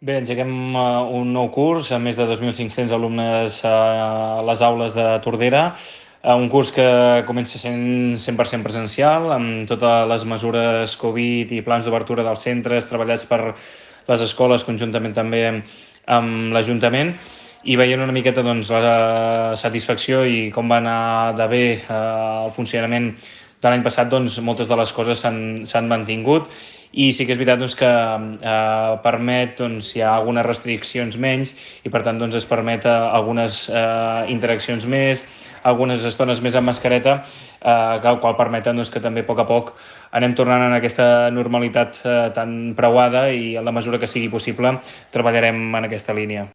Bé, engeguem un nou curs amb més de 2.500 alumnes a les aules de Tordera, un curs que comença sent 100% presencial, amb totes les mesures Covid i plans d'obertura dels centres treballats per les escoles conjuntament també amb l'Ajuntament, i veient una miqueta doncs, la satisfacció i com va anar de bé el funcionament de l'any passat, doncs, moltes de les coses s'han mantingut, i sí que és veritat doncs, que permet, doncs, hi ha algunes restriccions menys i per tant doncs, es permet algunes interaccions més, algunes estones més amb mascareta, que qual permeten doncs, que també a poc anem tornant en aquesta normalitat tan preuada, i en la mesura que sigui possible treballarem en aquesta línia.